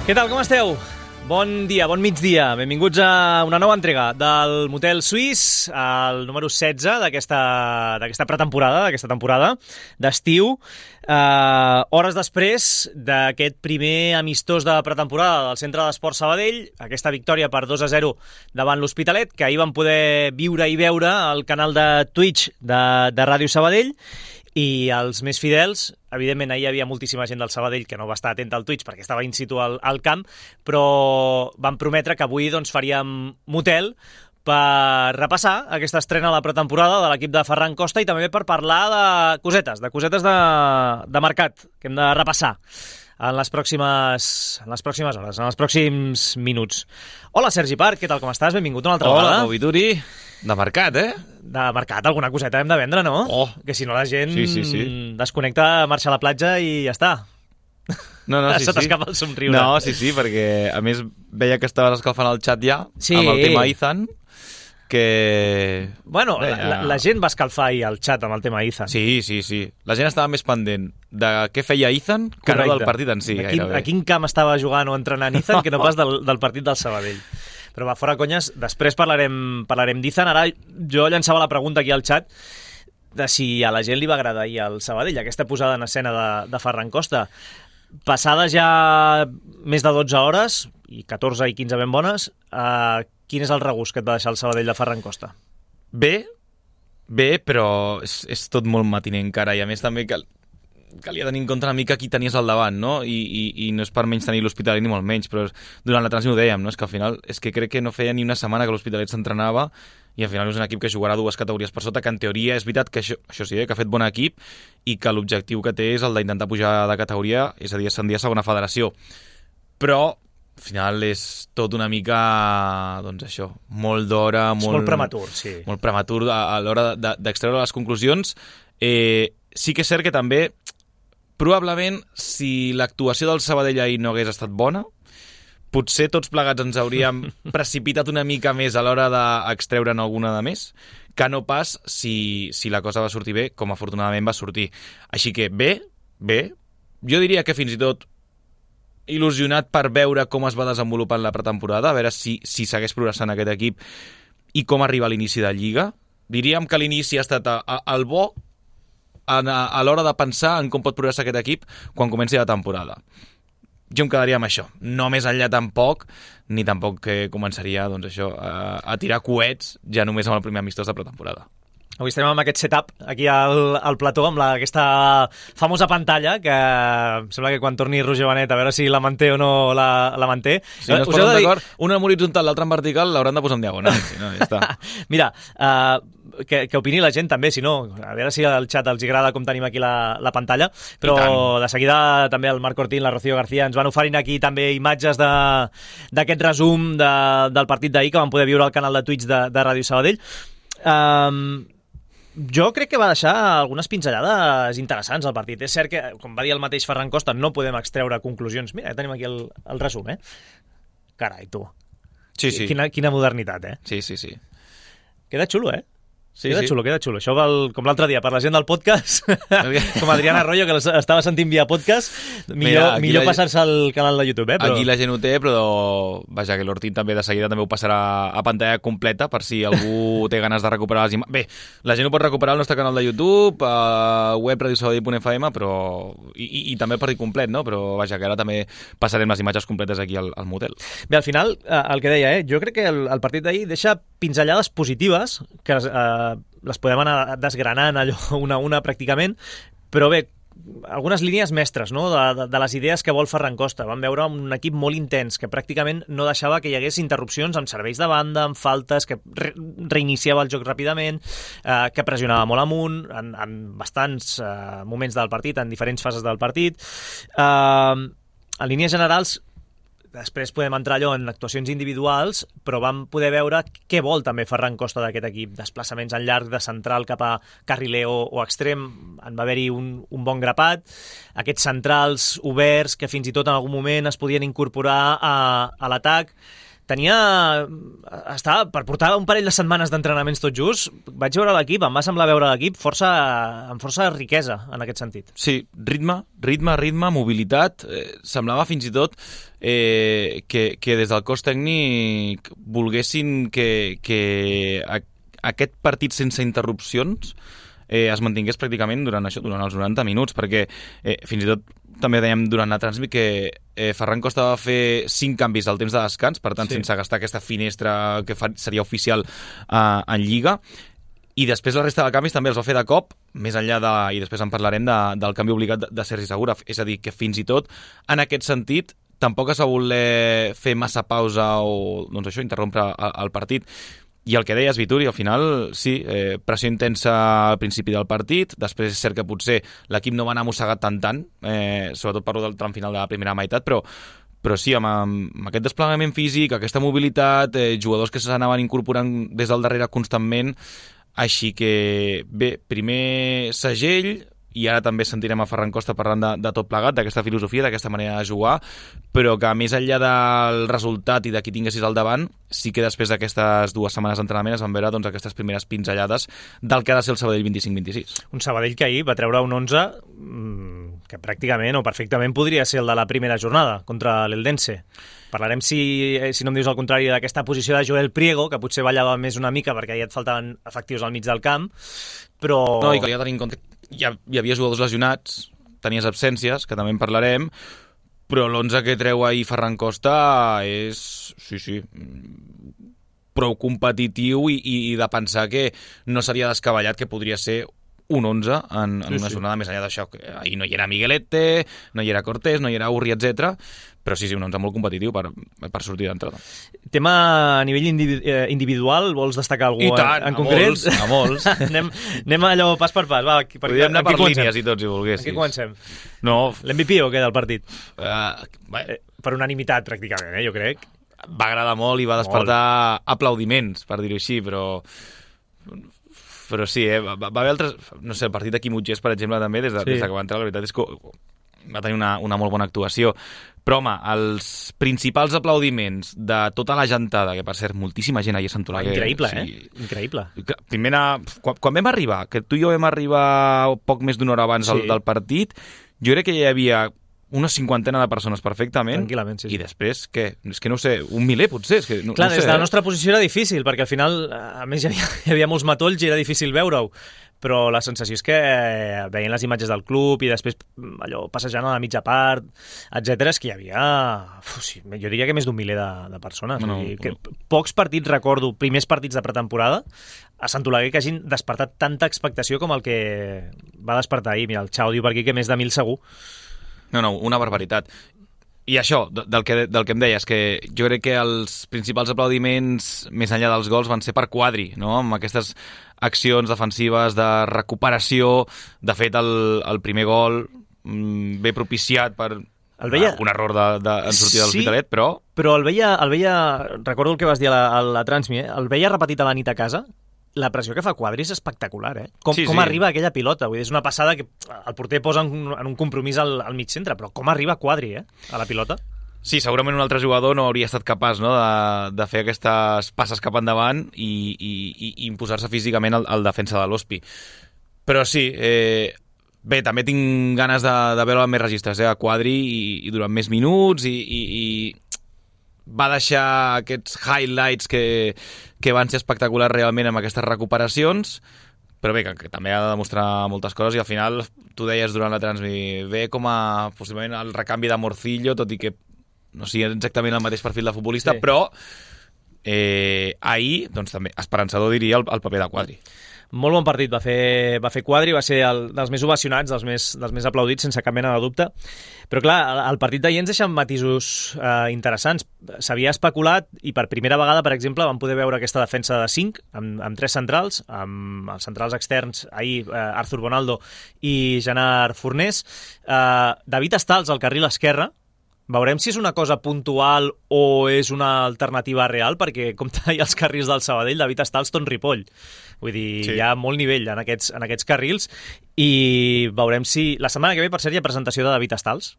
Què tal, com esteu? Bon dia, bon migdia. Benvinguts a una nova entrega del Motel Suís, el número 16 d'aquesta pretemporada, d'aquesta temporada d'estiu. Hores després d'aquest primer amistós de pretemporada del Centre d'Esport Sabadell, aquesta victòria per 2-0 davant l'Hospitalet, que ahir vam poder viure i veure al canal de Twitch de Ràdio Sabadell. I els més fidels, evidentment ahir hi havia moltíssima gent del Sabadell que no va estar atenta al Twitch perquè estava in situ al camp, però van prometre que avui faríem motel per repassar aquesta estrena de la pretemporada de l'equip de Ferran Costa i també per parlar de cosetes de mercat que hem de repassar en les pròximes hores, en els pròxims minuts. Hola, Sergi Parc, què tal, com estàs? Benvingut una altra vegada. Hola, Pau Vituri. De mercat, De mercat, alguna coseta hem de vendre, no? Oh. Que si no la gent Sí. desconnecta, marxa a la platja i ja està. No, Se t'escapa el somriure. No, sí, perquè a més veia que estaves escalfant el xat ja Sí. amb el tema Ethan, que... Bueno, la gent va escalfar ahir el xat amb el tema Ethan. Sí. La gent estava més pendent de què feia Ethan que no del partit en si. A quin camp estava jugant o entrenant Ethan que no pas del partit del Sabadell. Però va, fora conyes, després parlarem d'Ethan. Ara jo llançava la pregunta aquí al xat de si a la gent li va agradar ahir el Sabadell, aquesta posada en escena de Ferran Costa. Passades ja més de 12 hores, i 14 i 15 ben bones, quin és el regust que et va deixar el Sabadell de Ferran Costa? Bé, però és tot molt matiner encara, i a més també calia tenir en compte una mica qui tenies al davant, no? I no és per menys tenir l'Hospitalet ni molt menys, però durant la transmissió ho dèiem, no? És que al final crec que no feia ni una setmana que l'Hospitalet s'entrenava i al final és un equip que jugarà 2 categories per sota, que en teoria és veritat que això sí, que ha fet bon equip i que l'objectiu que té és el d'intentar pujar de categoria, és a dir, ascendir a segona federació. Però al final és tot una mica, doncs això, molt d'hora... Molt prematur, sí. Molt prematur a l'hora d'extreure les conclusions. Sí que és cert que també, probablement, si l'actuació del Sabadell ahir no hagués estat bona, potser tots plegats ens hauríem precipitat una mica més a l'hora d'extreure'n alguna de més, que no pas si la cosa va sortir bé, com afortunadament va sortir. Així que bé, jo diria que fins i tot il·lusionat per veure com es va desenvolupant la pretemporada, a veure si segueix progressant aquest equip i com arriba a l'inici de Lliga. Diríem que l'inici ha estat el bo a l'hora de pensar en com pot progressar aquest equip quan comenci la temporada. Jo em quedaria amb això. No més enllà tampoc, ni tampoc que començaria doncs això, a tirar coets ja només amb el primer amistós de pretemporada. Avui estarem amb aquest setup aquí al plató, amb aquesta famosa pantalla, que em sembla que quan torni Roger Benet, a veure si la manté o no la manté. Si no es posen d'acord, una en horitzontal, l'altra en vertical, l'hauran de posar en diagonal. Si no, ja està. Mira, que opini la gent també, si no, a veure si al xat els agrada com tenim aquí la pantalla, però de seguida també el Marc Cortín, la Rocío García ens van oferint aquí també imatges d'aquest resum del partit d'ahir que vam poder viure al canal de Twitch de Ràdio Sabadell. Jo crec que va deixar algunes pinzellades interessants al partit. És cert que, com va dir el mateix Ferran Costa, no podem extreure conclusions. Mira, tenim aquí el resum, Carai, tu. Sí. Quina modernitat, Sí. Queda xulo, Queda Sí. xulo. Això com l'altre dia, per la gent del podcast, com Adriana Arroyo, que estava sentint via podcast, millor passar-se al canal de YouTube, Però... Aquí la gent ho té, però vaja, que l'Ortín també de seguida també ho passarà a pantalla completa per si algú té ganes de recuperar les imatges. Bé, la gent ho pot recuperar al nostre canal de YouTube, web radiosabadell.fm, però i també el partit complet, no? Però vaja, que ara també passarem les imatges completes aquí al motel. Bé, al final, el que deia, jo crec que el partit d'ahir deixa pinzellades positives, que les podem anar desgranant allò una a una pràcticament, però bé, algunes línies mestres, no?, de les idees que vol Ferran Costa. Vam veure un equip molt intens, que pràcticament no deixava que hi hagués interrupcions amb serveis de banda, amb faltes, que reiniciava el joc ràpidament, que pressionava molt amunt en bastants moments del partit, en diferents fases del partit. En línies generals, després podem entrar allò en actuacions individuals, però vam poder veure què vol també Ferran Costa d'aquest equip. Desplaçaments en llarg de central cap a carriler o extrem, en va haver-hi un bon grapat. Aquests centrals oberts que fins i tot en algun moment es podien incorporar a l'atac. Estava per portar un parell de setmanes d'entrenaments tot just. Vaig veure l'equip, em va semblar veure l'equip amb força riquesa en aquest sentit. Sí, ritme, mobilitat. Semblava fins i tot que des del cos tècnic volguessin que aquest partit sense interrupcions es mantingués pràcticament durant els 90 minuts, perquè fins i tot també dèiem durant la transmit que Ferran Costa va fer 5 canvis al temps de descans, per tant, sense gastar aquesta finestra que seria oficial en Lliga, i després la resta de canvis també els va fer de cop, més enllà i després en parlarem del canvi obligat de Sergi Segura, és a dir, que fins i tot en aquest sentit tampoc es va voler fer massa pausa o doncs això, interrompre el partit. I el que deies, Vituri, al final, sí, pressió intensa al principi del partit, després és cert que potser l'equip no va anar mossegat tant, sobretot parlo del tram final de la primera meitat, però sí, amb aquest desplegament físic, aquesta mobilitat, jugadors que s'anaven incorporant des del darrere constantment, així que, bé, primer segell, i ara també sentirem a Ferran Costa parlant de tot plegat, d'aquesta filosofia, d'aquesta manera de jugar, però que més enllà del resultat i de qui tinguessis al davant, sí que després d'aquestes 2 setmanes d'entrenament es van veure doncs, aquestes primeres pinzellades del que ha de ser el Sabadell 25-26. Un Sabadell que ahir va treure un 11 que pràcticament o perfectament podria ser el de la primera jornada contra l'Eldense. Parlarem, si no em dius el contrari, d'aquesta posició de Joel Priego, que potser ballava més una mica perquè ja et faltaven efectius al mig del camp, però... No, i calia tenir en compte hi havia jugadors lesionats, tenies absències, que també en parlarem, però l'11 que treu ahir Ferran Costa és, sí, prou competitiu i de pensar que no seria descabellat que podria ser un 11 en una jornada més enllà d'això. Ahir no hi era Miguelete, no hi era Cortés, no hi era Urri, etc. Però sí, un 11 molt competitiu per sortir d'entrada. Tema a nivell individual, vols destacar algú en concret? A molts. Anem allò pas per pas. Va, podríem anar per línies i tots, si volguessis. Aquí comencem. No. L'MVP o què del partit? Per unanimitat, pràcticament, jo crec. Va agradar molt i va despertar aplaudiments, per dir-ho així, però sí, va haver altres... No sé, el partit de Quim Utgés, per exemple, també, des que va entrar, la veritat és que va tenir una molt bona actuació. Però, home, els principals aplaudiments de tota la gentada, que per cert, moltíssima gent ahir a Sant Oleguer... Increïble, Increïble. Primera, quan vam arribar, que tu i jo vam arribar poc més d'una hora abans del partit, jo crec que ja hi havia una 50 de persones perfectament. Tranquil·lament, sí. I després, què? És que no ho sé, 1 miler potser? És que clar, no des sé, de la nostra posició era difícil, perquè al final, a més, hi havia molts matolls i era difícil veure-ho. Però la sensació és que veient les imatges del club i després allò passejant a la mitja part, etc., és que hi havia, jo diria que més d'1 miler de persones. Pocs partits, recordo, primers partits de pretemporada, a Sant Oleguer que hagin despertat tanta expectació com el que va despertar ahir. Mira, el Xau diu per aquí que més de 1.000 segur. No, una barbaritat. I això, del que em deies, que jo crec que els principals aplaudiments, més enllà dels gols, van ser per Quadri, no? Amb aquestes accions defensives de recuperació. De fet, el primer gol ve propiciat per un error en sortida de l'Hospitalet, però... Però el veia, recordo el que vas dir a la Transmi, el veia repetit a la nit a casa. La pressió que fa Quadri és espectacular, Com arriba aquella pilota. Vull dir, és una passada que el porter posa en un compromís al mig centre, però com arriba Quadri, a la pilota? Sí, segurament un altre jugador no hauria estat capaç, no, de fer aquestes passes cap endavant i imposar-se físicament al defensa de l'Hospi. Però sí, bé, també tinc ganes de veure més registres, a Quadri i durant més minuts i va deixar aquests highlights que van ser espectaculars realment amb aquestes recuperacions, però bé, que també ha de demostrar moltes coses i al final, tu deies durant la transmi, ve com a possiblement el recanvi de Morcillo, tot i que no sigui exactament el mateix perfil de futbolista, però ahir, doncs també, esperançador diria el paper de Quadri. Molt bon partit va fer Quadri, va ser dels més ovacionats, dels més aplaudits, sense cap mena de dubte. Però clar, el partit d'ahir ens deixa matisos interessants. S'havia especulat i per primera vegada, per exemple, vam poder veure aquesta defensa de 5, amb 3 centrals, amb els centrals externs, ahir Arthur Bonaldo i Gerard Fornés. David Estals al carril esquerre. Veurem si és una cosa puntual o és una alternativa real, perquè com talla els carrils del Sabadell, David Estals tot Ripoll. Vull dir, hi ha molt nivell en aquests carrils i veurem si... La setmana que ve, per cert, hi ha presentació de David Estals.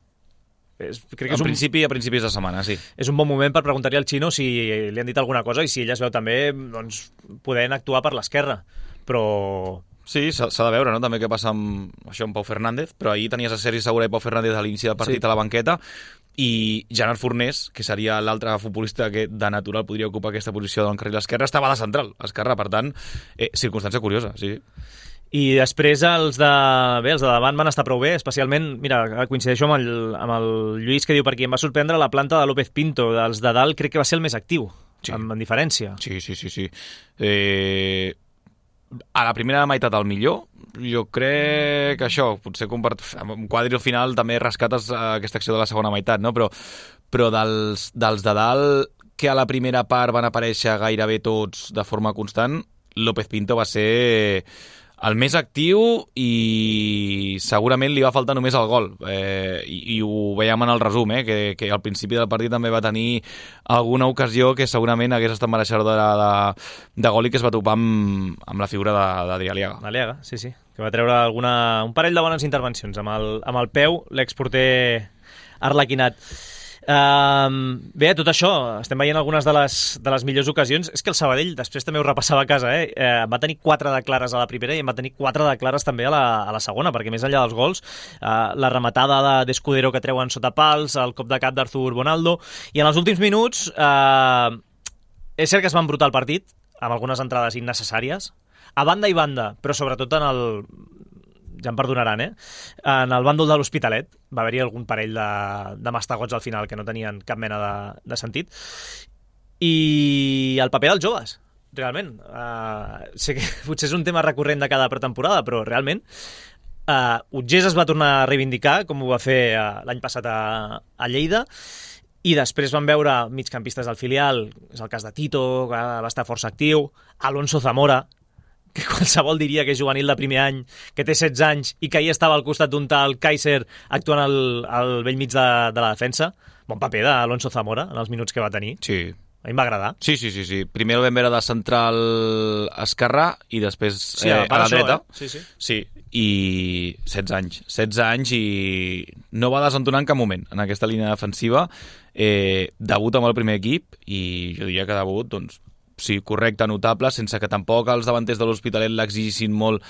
crec que a principis de setmana, sí. És un bon moment per preguntar-li al Xino si li han dit alguna cosa i si ell es veu també doncs, podent actuar per l'esquerra. Però... Sí, s'ha de veure, no?, també què passa amb Pau Fernández, però ahir tenies a Sergi Segura i Pau Fernández a l'inici del partit a la banqueta, i Gerard Fornés, que seria l'altre futbolista que de natural podria ocupar aquesta posició del carril esquerre, estava de central esquerra, per tant, circumstància curiosa, sí. I després els de davant van estar prou bé, especialment, mira, coincideixo amb el Lluís que diu per aquí, em va sorprendre la planta de López Pinto, dels de dalt crec que va ser el més actiu, en diferència. Sí. A la primera meitat el millor, jo crec que això, potser amb un quadri al final també rescates aquesta acció de la segona meitat, no? Però dels de dalt, que a la primera part van aparèixer gairebé tots de forma constant, López Pinto va ser el més actiu i segurament li va faltar només el gol. I ho veiem en el resum, que al principi del partit també va tenir alguna ocasió que segurament hagués estat mereixedora de gol i que es va topar amb la figura d'Adrià Aliaga. Aliaga, sí, que va treure un parell de bones intervencions amb el peu, l'exporter arlequinat. Bé, tot això, estem veient algunes de les millors ocasions. És que el Sabadell, després també ho repassava a casa, va tenir 4 de clares a la primera i en va tenir 4 de clares també a la segona, perquè més enllà dels gols, la rematada d'Escudero que treuen sota pals, el cop de cap d'Arthur Bonaldo, i en els últims minuts és cert que es va embrutar el partit amb algunes entrades innecessàries, a banda i banda, però sobretot ja em perdonaran, en el bàndol de l'Hospitalet va haver-hi algun parell de mastegots al final que no tenien cap mena de sentit. I el paper dels joves, realment. Sé que potser és un tema recurrent de cada pretemporada, però realment Utgés es va tornar a reivindicar, com ho va fer l'any passat a Lleida, i després vam veure migcampistes del filial, és el cas de Tito, que va estar força actiu, Alonso Zamora, que qualsevol diria que és juvenil de primer any, que té 16 anys i que ahir estava al costat d'un tal Kaiser actuant al vell mig de la defensa. Bon paper d'Alonso Zamora en els minuts que va tenir. Sí. A mi em va agradar. Sí. Primer el vam veure de central esquerrà i després a la dreta. Sí, i 16 anys i no va desentonar en cap moment en aquesta línia defensiva. Debut amb el primer equip i jo diria que debut, doncs, sí, correcte, notable, sense que tampoc els davanters de l'Hospitalet l'exigissin molt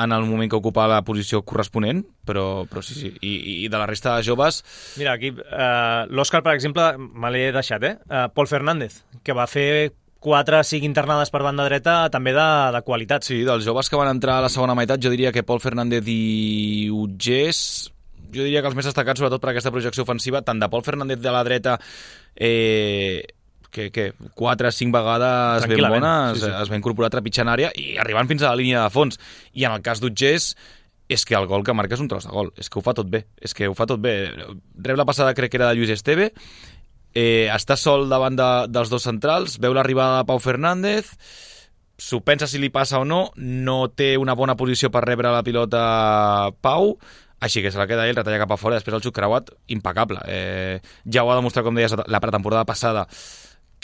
en el moment que ocupava la posició corresponent, però sí. I de la resta de joves... Mira, aquí l'Òscar, per exemple, me l'he deixat, Pol Fernández, que va fer 4 o 5 internades per banda dreta, també de qualitat. Sí, dels joves que van entrar a la segona meitat, jo diria que Pol Fernández i Utgés, jo diria que els més destacats, sobretot per aquesta projecció ofensiva, tant de Pol Fernández de la dreta... que 4 o 5 vegades ben bones, sí. Es va incorporar trepitjant àrea i arribant fins a la línia de fons. I en el cas d'Utgés, és que el gol que marca és un tros de gol. És que ho fa tot bé. Rep la passada, crec que era de Lluís Esteve, està sol davant dels dos centrals, veu l'arribada de Pau Fernández, s'ho pensa si li passa o no té una bona posició per rebre la pilota Pau, així que se la queda ell, retalla cap a fora, després el xut creuat, impecable. Ja ho ha demostrat, com deies, la pretemporada passada,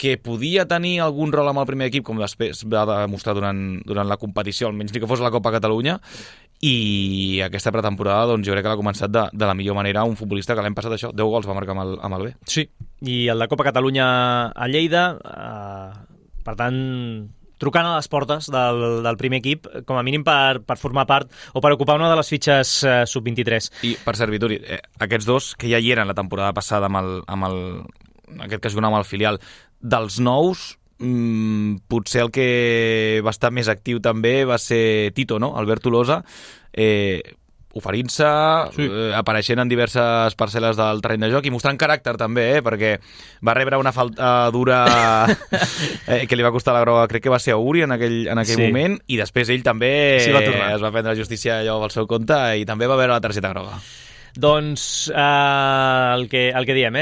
que podia tenir algun rol amb el primer equip, com després va demostrar durant la competició, almenys ni que fos la Copa Catalunya, i aquesta pretemporada doncs, jo crec que l'ha començat de la millor manera un futbolista que l'any passat 10 gols va marcar amb el B. Sí, i el de Copa Catalunya a Lleida, per tant, trucant a les portes del primer equip, com a mínim per formar part o per ocupar una de les fitxes sub-23. I per cert, Vituri, aquests dos que ja hi eren la temporada passada en aquest cas jugant amb el filial, dels nous, potser el que va estar més actiu també va ser Tito, no? Albert Tolosa, oferint-se, sí. Apareixent en diverses parcel·les del terreny de joc i mostrant caràcter també, perquè va rebre una falta dura que li va costar la groga, crec que va ser a Uri en aquell sí. moment, i després ell també es va prendre la justícia allò pel seu compte i també va veure la targeta groga. Doncs el que diem,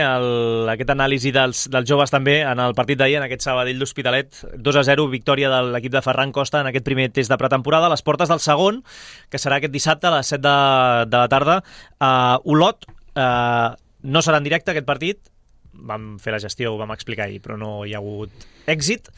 aquest anàlisi dels joves també en el partit d'ahir, en aquest Sabadell d'Hospitalet, 2-0, victòria de l'equip de Ferran Costa en aquest primer test de pretemporada, a les portes del segon, que serà aquest dissabte a les 7 de la tarda. Olot no serà en directe aquest partit, vam fer la gestió, ho vam explicar ahir, però no hi ha hagut èxit,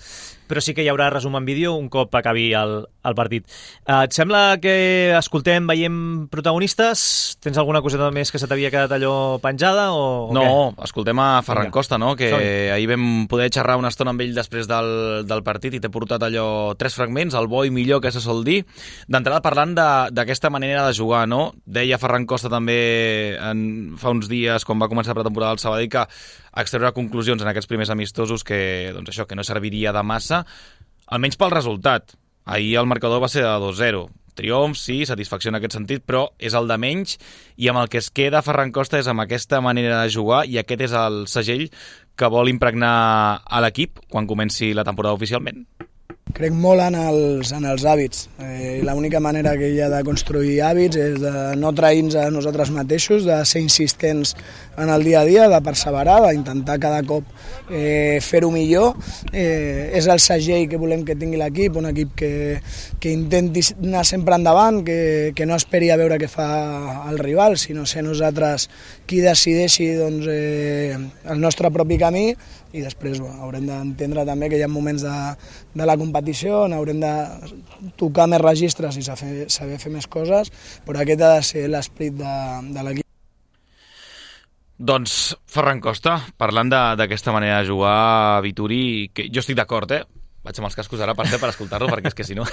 però sí que hi haurà resum en vídeo un cop acabi el partit. Et sembla que escoltem, veiem protagonistes? Tens alguna coseta més que se t'havia quedat allò penjada o no, què? Escoltem a Ferran Costa, no? Que ahir vam poder xerrar una estona amb ell després del partit i t'he portat allò 3 fragments, el bo i millor que se sol dir. D'entrada parlant d'aquesta manera de jugar, no? Deia Ferran Costa també fa uns dies, quan va començar la pretemporada del Sabadell, que extreure conclusions en aquests primers amistosos que, doncs això, que no serviria de massa, almenys pel resultat. Ahir el marcador va ser de 2-0. Triomf, sí, satisfacció en aquest sentit, però és el de menys, i amb el que es queda Ferran Costa és amb aquesta manera de jugar, i aquest és el segell que vol impregnar a l'equip quan comenci la temporada oficialment. Crec molt en els hàbits. L'única manera que hi ha de construir hàbits és de no trair-nos a nosaltres mateixos, de ser insistents en el dia a dia, de perseverar, d'intentar cada cop fer-ho millor. És el segell que volem que tingui l'equip, un equip que intenti anar sempre endavant, que no esperi a veure què fa el rival, sinó ser nosaltres qui decideixi el nostre propi camí, i després haurem d'entendre també que hi ha moments de la competició on haurem de tocar més registres i saber fer més coses, però aquest ha de ser l'esperit de l'equip. Doncs Ferran Costa, parlant d'aquesta manera de jugar, Vituri, que jo estic d'acord, vaig amb els cascos ara per escoltar-lo, perquè és que si no...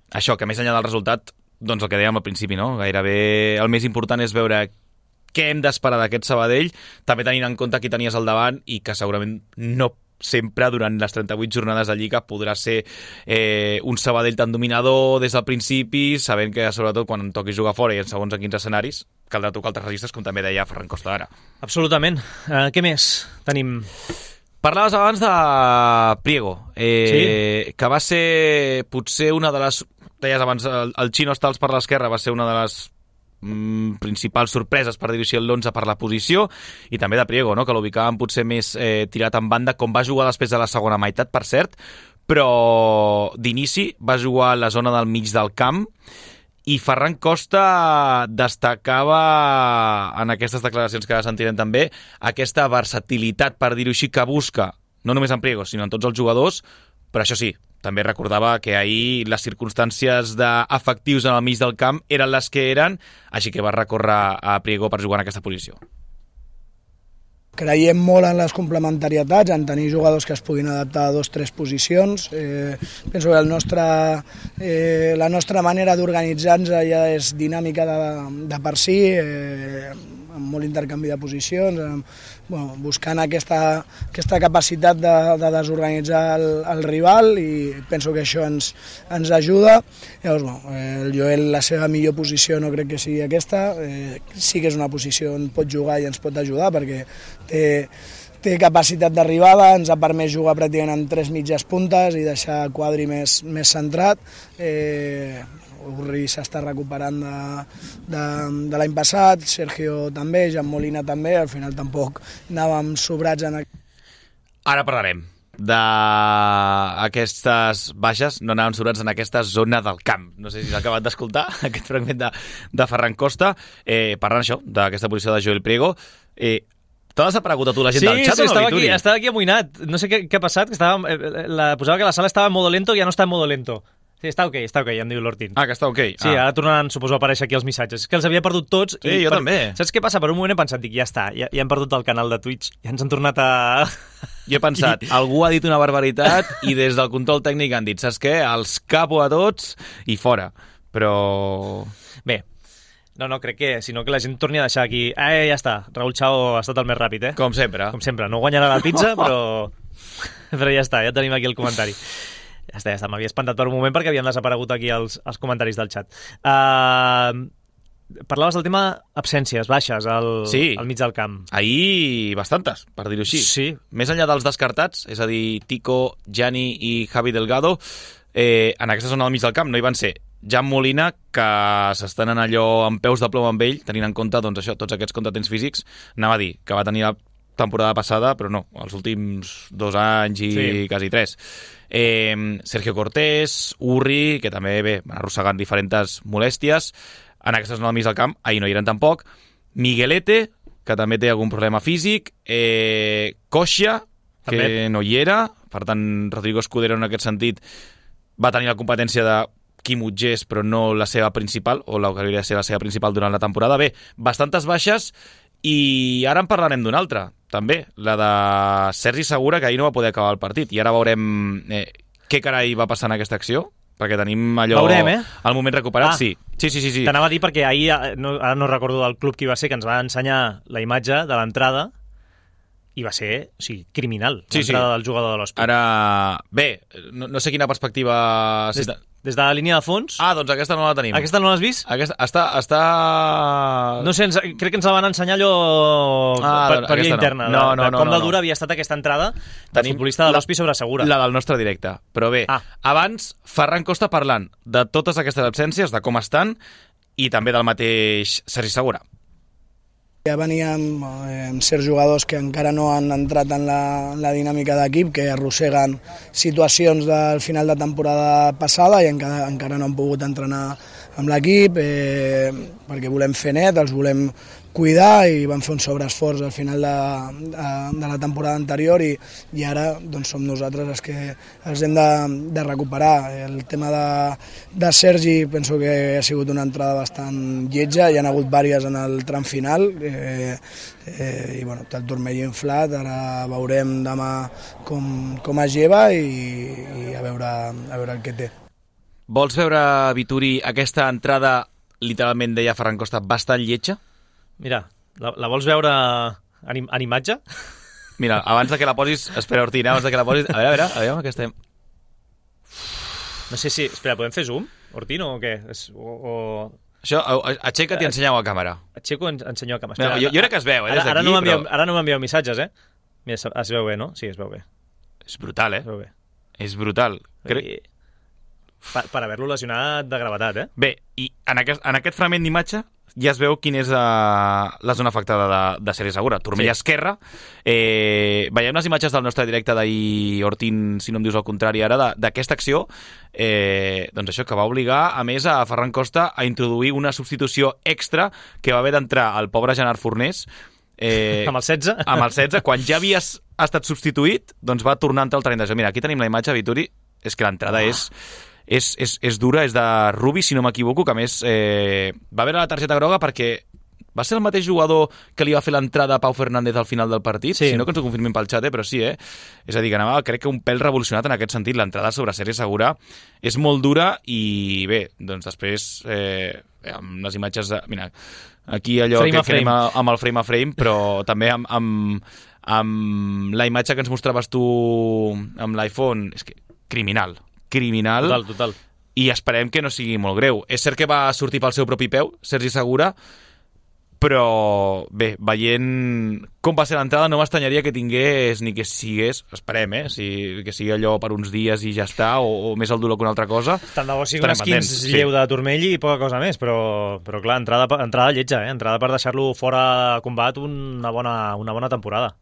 Això, que més enllà del resultat, doncs el que dèiem al principi, no? Gairebé el més important és veure què hem d'esperar d'aquest Sabadell, també tenint en compte qui tenies al davant i que segurament no sempre durant les 38 jornades de Lliga podrà ser un Sabadell tan dominador des del principi, sabent que sobretot quan toqui jugar fora i en segons en quins escenaris caldrà tocar altres registres, com també deia Ferran Costa ara. Absolutament. Què més tenim? Parlaves abans de Priego, sí? Que va ser potser una de les... Deies abans, el Chino Stals per l'esquerra va ser una de les principals sorpreses per dirigir l'11 per la posició, i també de Priego, no? Que l'ubicàvem potser més tirat en banda, com va jugar després de la segona meitat, per cert, però d'inici va jugar a la zona del mig del camp, i Ferran Costa destacava en aquestes declaracions que ara sentirem també aquesta versatilitat, per dir-ho així, que busca, no només en Priego, sinó en tots els jugadors, però això sí, també recordava que ahir les circumstàncies d'efectius en el mig del camp eren les que eren, així que va recórrer a Priego per jugar en aquesta posició. Creiem molt en les complementarietats, en tenir jugadors que es puguin adaptar a 2 o 3 posicions. Penso que la nostra manera d'organitzar-nos ja és dinàmica de per si, amb molt intercanvi de posicions, buscant aquesta capacitat de desorganitzar el rival, i penso que això ens ajuda. Llavors, el Joel, la seva millor posició no crec que sigui aquesta, sí que és una posició on pot jugar i ens pot ajudar perquè té capacitat d'arribada, ens ha permès jugar pràcticament amb 3 mitges puntes i deixar Quadri més centrat. Urri s'està recuperant de l'any passat, Sergio també, Jan Molina també, al final tampoc anàvem sobrats en... Ara parlarem d'aquestes baixes, no anàvem sobrats en aquesta zona del camp. No sé si s'ha acabat d'escoltar aquest fragment de Ferran Costa, parlant això, d'aquesta posició de Joel Priego. T'ha desaparegut a tu la gent del xat o no, Vituri? Sí, estava aquí amoïnat. No sé què ha passat, que posava que la sala estava en modo lento i ja no està en modo lento. Sí, està ok, ja em diu l'Hortin. Ah, que està ok. Sí, ara tornaran, suposo, a aparèixer aquí els missatges. És que els havia perdut tots. Sí, jo també. Saps què passa? Per un moment he pensat, dic, ja està, ja hem perdut el canal de Twitch, ja ens han tornat a... Jo he pensat, algú ha dit una barbaritat i des del control tècnic han dit, saps què? Els capo a tots i fora. Però... Bé, no, crec que, sinó que la gent torni a deixar aquí. Ja està, Raúl Chao ha estat el més ràpid, Com sempre. Com sempre, no guanyarà la pizza, però ja està, ja tenim aquí el comentari. Ja està, m'havia espantat per un moment perquè havien desaparegut aquí els comentaris del xat. Parlaves del tema absències, baixes al mig del camp. Ahir bastantes, per dir-ho així. Sí. Més enllà dels descartats, és a dir, Tico, Gianni i Javi Delgado, en aquesta zona del mig del camp no hi van ser Jan Molina, que s'estan en allò amb peus de plom amb ell, tenint en compte doncs, això, tots aquests contratemps físics. Anava a dir que va tenir la temporada passada, però no, els últims 2 anys i quasi 3. Sergio Cortés, Urri, que també van arrossegant diferents molèsties. En aquesta zona del mig del camp, ahir no hi eren tampoc. Miguelete, que també té algun problema físic, Coixia, que també no hi era, per tant, Rodrigo Escudero en aquest sentit va tenir la competència de Quim Utgés, però no la seva principal, o la que hauria de ser la seva principal durant la temporada. Bé, bastantes baixes, i ara en parlarem d'una altra, també, la de Sergi Segura, que ahir no va poder acabar el partit, i ara veurem què carai va passar en aquesta acció, perquè tenim allò... Veurem, al moment recuperat, sí. Sí. T'anava a dir perquè ahir, ara no recordo del club qui va ser, que ens va ensenyar la imatge de l'entrada i va ser, criminal, l'entrada del jugador de l'Hospitalet. Ara, bé, no sé quina perspectiva... Des de la línia de fons? Doncs aquesta no la tenim. Aquesta no l'has vist? Aquesta està... No sé, crec que ens la van ensenyar allò per via interna. Com de dura havia estat aquesta entrada del futbolista de l'Hospi sobre Segura. La del nostre directe. Però bé, abans Ferran Costa parlant de totes aquestes absències, de com estan, i també del mateix Sergi Segura. Ja veníem amb certs jugadors que encara no han entrat en la dinàmica d'equip, que arrosseguen situacions del final de temporada passada i encara no han pogut entrenar amb l'equip, perquè volem fer net, els volem cuidar, i van fer un sobreesforç al final de la temporada anterior, i ara doncs, som nosaltres els que els hem de recuperar. El tema de Sergi penso que ha sigut una entrada bastant lletja, hi ha hagut vàries en el tram final, i bueno, té el turmell inflat, ara veurem demà com es lleva i a veure el que té. Vols veure, Vituri, aquesta entrada, literalment deia Ferran Costa, bastant lletja? Mira, la vols veure en imatge? Mira, abans de que la posis... Espera, Ortina, abans de que la posis... A veure que estem... No sé si... Espera, podem fer zoom, Ortino, o què? Això, aixeca't i ensenyeu a càmera. Aixeco i ensenyo a càmera. Jo crec que es veu, des d'aquí, Ara no m'envieu missatges, Mira, es veu bé, no? Sí, es veu bé. És brutal, Es veu bé. És brutal. Per haver-lo lesionat de gravetat, Bé, i en aquest fragment d'imatge ja es veu quina és la zona afectada de Sergi Segura. Turmell esquerra. Veiem les imatges del nostre directe d'ahir, Ortín, si no em dius el contrari ara, d'aquesta acció, doncs això, que va obligar, a més, a Ferran Costa a introduir una substitució extra que va haver d'entrar el pobre Gerard Fornés, amb el 16? Amb el 16, quan ja havies estat substituït, doncs va tornar a entrar al terreny de joc. Mira, aquí tenim la imatge, Vituri, és que l'entrada és dura, és de Rubi, si no m'equivoco, que a més va haver la targeta groga perquè va ser el mateix jugador que li va fer l'entrada a Pau Fernández al final del partit, si no que ens ho confirmin pel xat, però sí, És a dir, que anava, crec que un pèl revolucionat en aquest sentit. L'entrada sobre Sergi Segura és molt dura i bé, doncs després amb les imatges mira, aquí allò frame que anem amb el frame a frame, però també amb la imatge que ens mostraves tu amb l'iPhone, és que criminal. Total. I esperem que no sigui molt greu. És cert que va sortir pel seu propi peu, Sergi Segura, però bé, veient com va ser l'entrada, no m'estranyaria que tingués ni que sigués, esperem, que sigui allò per uns dies i ja està, o més el dolor que una altra cosa. Tant de bo sigui un esquins lleu de turmell i poca cosa més, però clar, entrada lletja, entrada per deixar-lo fora de combat una bona temporada.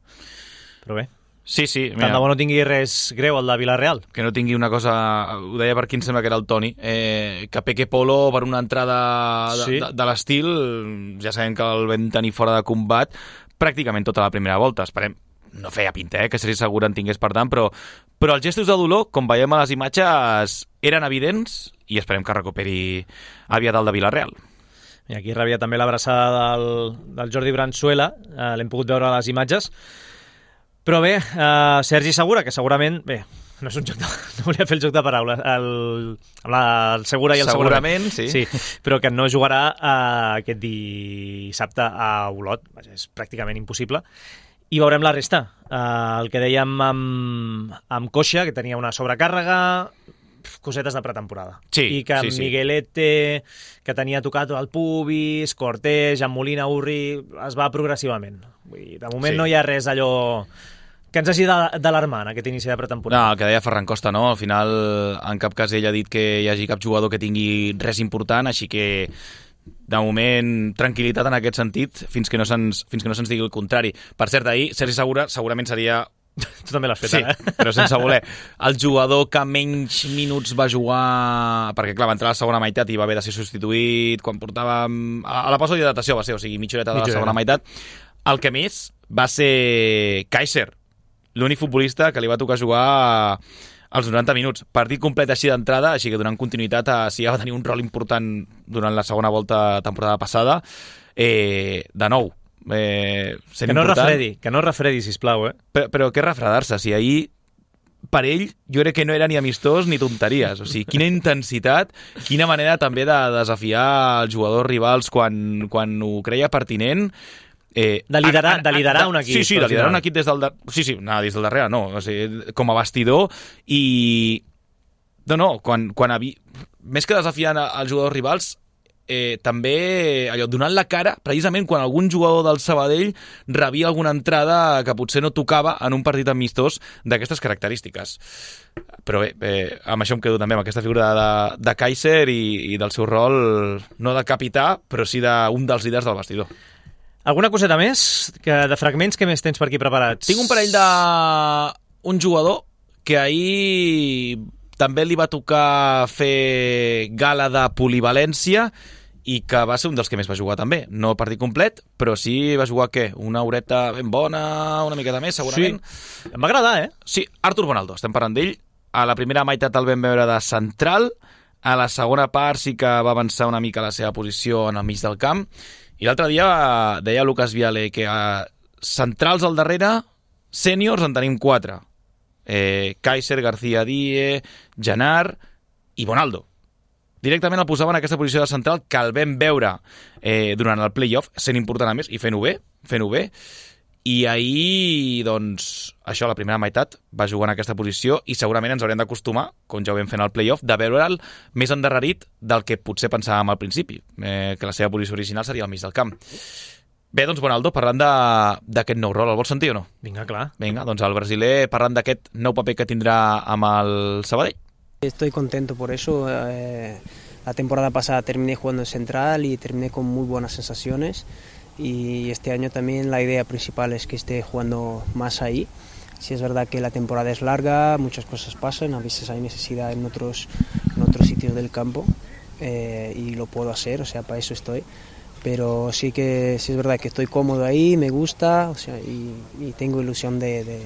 Però bé. Sí, mira. Tant de bo no tingui res greu el de Villarreal. Que no tingui una cosa... Ho deia per qui em sembla que era el Toni. Que peque Polo per una entrada de l'estil. Ja sabem que el vam tenir fora de combat pràcticament tota la primera volta. Esperem, no feia pinta, que Sergi Segura en tingués per tant, però els gestos de dolor, com veiem a les imatges, eren evidents i esperem que recuperi aviat el de Villarreal. I aquí rebia també l'abraçada del Jordi Branzuela. L'hem pogut veure a les imatges. Però bé, Sergi Segura, que segurament... Bé, no és un joc no volia fer el joc de paraules. El Segura i el segurament. Sí, però que no jugarà aquest dissabte a Olot. Vaja, és pràcticament impossible. I veurem la resta. El que dèiem amb Coixa, que tenia una sobrecàrrega, cosetes de pretemporada. I que Miguelete, que tenia tocat el pubis, Cortés, Jean Molina, Urri, es va progressivament. Vull dir, de moment no hi ha res allò que ens hagi d'alarmar en aquest inici de pretemporada. No, el que deia Ferran Costa, no? Al final, en cap cas ell ha dit que hi hagi cap jugador que tingui res important, així que de moment, tranquil·litat en aquest sentit, fins que no se'ns digui el contrari. Per cert, ahir, Sergi Segura segurament seria... Tu també l'has fet, però sense voler. El jugador que menys minuts va jugar... Perquè, clar, va entrar a la segona meitat i va haver de ser substituït quan portava... A la pausa d'hidratació va ser, o sigui, mitja horeta de la segona meitat. El que més va ser Kaiser, l'únic futbolista que li va tocar jugar als 90 minuts. Partit complet així d'entrada, així que donant continuïtat a si ja va tenir un rol important durant la segona volta temporada passada. De nou, sent important. Que no refredi, sisplau, Però què refredar-se? Si ahir, per ell, jo crec que no era ni amistós ni tonteries. O sigui, quina intensitat, quina manera també de desafiar els jugadors rivals quan ho creia pertinent. De liderar un equip. Sí, de liderar un equip des del darrere. Sí, des del darrere, no. O sigui, com a bastidor. I... més que desafiant els jugadors rivals, també allò, donant la cara precisament quan algun jugador del Sabadell rebia alguna entrada que potser no tocava en un partit amistós d'aquestes característiques. Però bé, amb això em quedo també amb aquesta figura de Kaiser i del seu rol, no de capità, però sí d'un dels líders del vestidor. Alguna coseta més? De fragments, què més tens per aquí preparats? Tinc un parell d'un jugador que ahir també li va tocar fer gala de polivalència i que va ser un dels que més va jugar també. No el partit complet, però sí va jugar, una horeta ben bona, una miqueta més, segurament. Sí, em va agradar, Sí, Artur Bonaldo, estem parlant d'ell. A la primera meitat el vam veure de central, a la segona part sí que va avançar una mica la seva posició en el mig del camp, i l'altre dia deia Lucas Viale que centrals al darrere, sèniors en tenim 4. Kaiser, García Díez, Genart i Bonaldo. Directament el posaven en aquesta posició de central que el vam veure durant el play-off, sent important a més i fent-ho bé. I ahir, doncs, això, la primera meitat va jugar en aquesta posició i segurament ens haurem d'acostumar, com ja ho vam fer en el play-off, de veure'l més endarrerit del que potser pensàvem al principi, que la seva posició original seria al mig del camp. Bé, doncs, Bonaldo, parlant d'aquest nou rol, el vols sentir o no? Vinga, clar. Vinga, doncs el brasiler parlant d'aquest nou paper que tindrà amb el Sabadell. Estoy contento por eso. La temporada pasada terminé jugando en central y terminé con muy buenas sensaciones. Y este año también la idea principal es que esté jugando más ahí. Sí es verdad que la temporada es larga, muchas cosas pasan, a veces hay necesidad en otros sitios del campo y lo puedo hacer, o sea, para eso estoy. Pero sí es verdad que estoy cómodo ahí, me gusta, o sea, y tengo ilusión de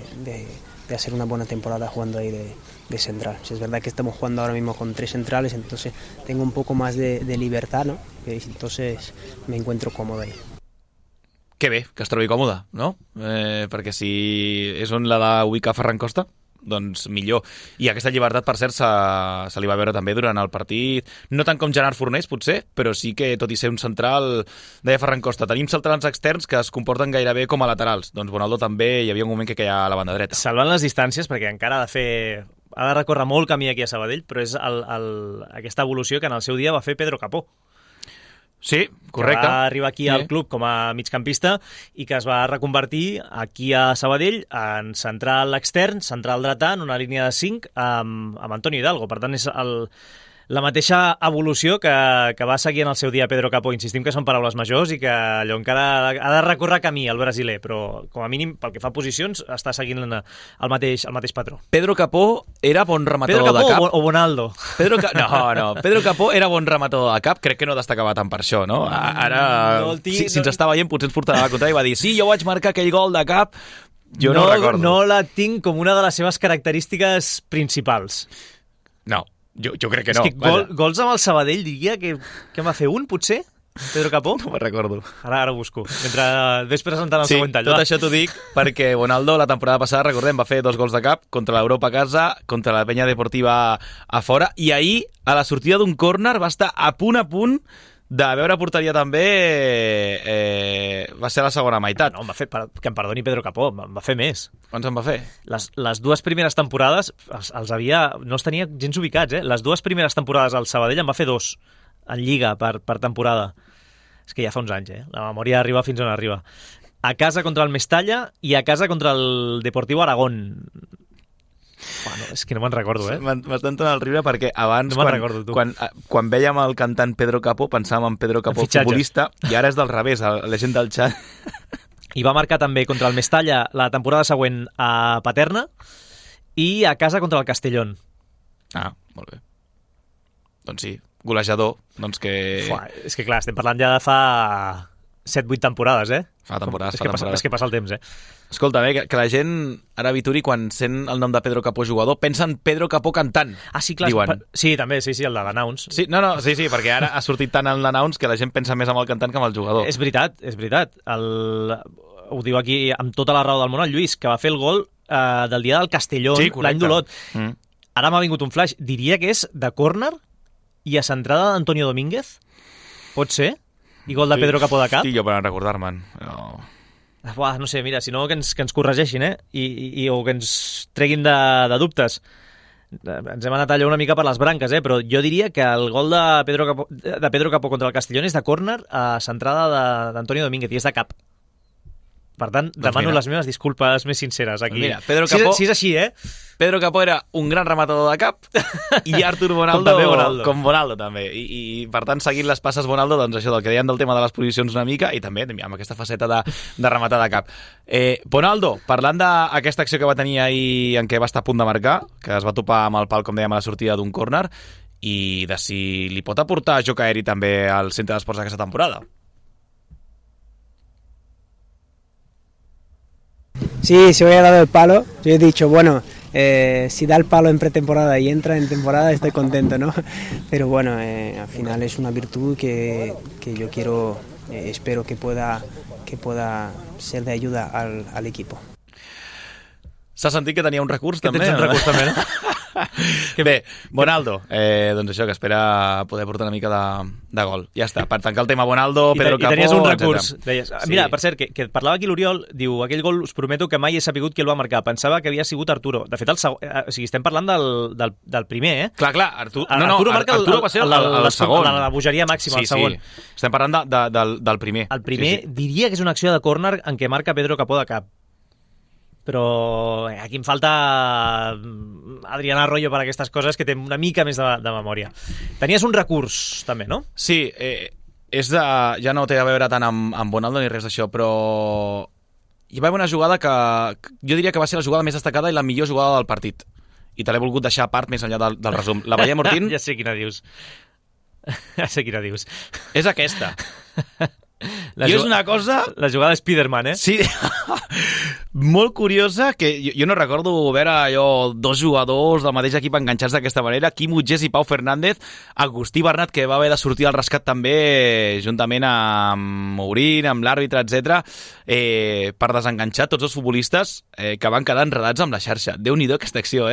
hacer una buena temporada jugando ahí de central. Sí es verdad que estamos jugando ahora mismo con 3 centrales, entonces tengo un poco más de libertad, ¿no? Entonces me encuentro cómodo ahí. Que bé, que es trobi còmode, no? Perquè si és on l'ha d'ubicar Ferran Costa, doncs millor. I aquesta llibertat, per cert, se li va veure també durant el partit, no tant com Gerard Fornés, potser, però sí que, tot i ser un central, deia Ferran Costa, tenim centrals externs que es comporten gairebé com a laterals. Doncs Bonaldo també hi havia un moment que queia a la banda dreta. Salvant les distàncies, perquè encara ha de recórrer molt camí aquí a Sabadell, però és aquesta evolució que en el seu dia va fer Pedro Capó. Sí, correcte. Que va arribar aquí al club com a migcampista i que es va reconvertir aquí a Sabadell en central extern, central dretà, en una línia de 5 amb Antonio Hidalgo. Per tant, és la mateixa evolució que va seguir en el seu dia Pedro Capó. Insistim que són paraules majors i que allò encara ha de recórrer camí el brasiler, però com a mínim pel que fa a posicions està seguint el mateix patró. Pedro Capó era bon rematador de cap. Pedro Capó o Bonaldo? No. Pedro Capó era bon rematador de cap, crec que no destacava tant per això, no? Ara, si ens està veient, potser ens portarà la contra i va dir sí, jo vaig marcar aquell gol de cap. Jo no recordo. No la tinc com una de les seves característiques principals. No. Jo crec que no. És que gols amb el Sabadell diria que va fer un, potser? Pedro Capó? No me'n recordo. Ara ho busco. Mentre ves presentant el següent tall. Tot això t'ho dic perquè Bonaldo la temporada passada, recordem, va fer 2 gols de cap contra l'Europa a casa, contra la Penya Deportiva a fora, i ahir, a la sortida d'un córner, va estar a punt de veure porteria també, va ser la segona meitat. No, que em perdoni Pedro Capó, em va fer més. Quants en va fer? Les 2 primeres temporades no els tenia gens ubicats, Les 2 primeres temporades al Sabadell em va fer 2 en Lliga per temporada. És que ja fa uns anys, La memòria arriba fins on arriba. A casa contra el Mestalla i a casa contra el Deportivo Aragón. Bueno, és que no me'n recordo, M'estan tonant el riure perquè abans, no quan vèiem el cantant Pedro Capó, pensàvem en Pedro Capó, el futbolista, i ara és del revés, la gent del xat. I va marcar també contra el Mestalla la temporada següent a Paterna i a casa contra el Castellón. Ah, molt bé. Doncs sí, golejador, doncs que... És que clar, estem parlant ja de fa 7-8 temporades, Fa temporades, És que passa el temps, Escolta, que la gent, ara Vituri, quan sent el nom de Pedro Capó jugador, pensa en Pedro Capó cantant. Ah, sí, clar. Sí, també, sí, el de l'announce. Sí, sí, perquè ara ha sortit tant en l'announce que la gent pensa més en el cantant que en el jugador. És veritat. Ho diu aquí amb tota la raó del món el Lluís, que va fer el gol del dia del Castellón, l'any d'Olot. Ara m'ha vingut un flash. Diria que és de córner i a centrada d'Antonio Domínguez. Pot ser? I gol de Pedro Capó de cap? Estic jo per recordar-me'n. No sé, mira, si no que ens corregeixin, o que ens treguin de dubtes. Ens hem anat allà una mica per les branques, però jo diria que el gol de Pedro Capó contra el Castellón és de córner a centrada d'Antonio Domínguez i és de cap. Per tant, demano les meves disculpes més sinceres aquí. Mira, Pedro Capó, si és així, Pedro Capó era un gran rematador de cap i Artur Bonaldo com Bonaldo també. I per tant, seguint les passes Bonaldo, doncs això del que dèiem del tema de les posicions una mica i també amb aquesta faceta de rematar de cap. Bonaldo, parlant d'aquesta acció que va tenir ahir en què va estar a punt de marcar, que es va topar amb el pal, com dèiem, a la sortida d'un córner, i de si li pot aportar joc aeri també al centre d'esports d'aquesta temporada. Sí, se había dado el palo. Yo he dicho, bueno, si da el palo en pretemporada y entra en temporada, estoy contento, ¿no? Pero bueno, al final es una virtud que yo quiero, espero que pueda ser de ayuda al equipo. S'ha sentit que tenia un recurs, també? Que tens un recurs, també, no? Bé, Bonaldo, doncs això, que espera poder portar una mica de gol. Ja està, per tancar el tema Bonaldo, Pedro Capó... I tenies un recurs, deies. Mira, per cert, que parlava aquí l'Oriol, diu, aquell gol us prometo que mai he sapigut qui el va marcar, pensava que havia sigut Arturo. De fet, estem parlant del primer, Clar, Arturo va ser el segon. La bogeria màxima, el segon. Sí, estem parlant del primer. El primer diria que és una acció de córner en què marca Pedro Capó de cap. Però aquí em falta Adrián Arroyo per aquestes coses, que té una mica més de memòria. Tenies un recurs, també, no? Sí, ja no té a veure tant amb Bonaldo ni res d'això, però hi va haver una jugada que jo diria que va ser la jugada més destacada i la millor jugada del partit. I te l'he volgut deixar a part més enllà del resum. La veiem, Ortín? Ja sé quina dius. És aquesta. I és una cosa... La jugada de Spiderman, Sí, molt curiosa, que jo no recordo veure allò dos jugadors del mateix equip enganxats d'aquesta manera, Quim Utgés i Pau Fernández, Agustí Bernat, que va haver de sortir al rescat també, juntament amb Mourín, amb l'àrbitre, etc, per desenganxar tots els futbolistes que van quedar enredats amb la xarxa. Déu-n'hi-do aquesta acció,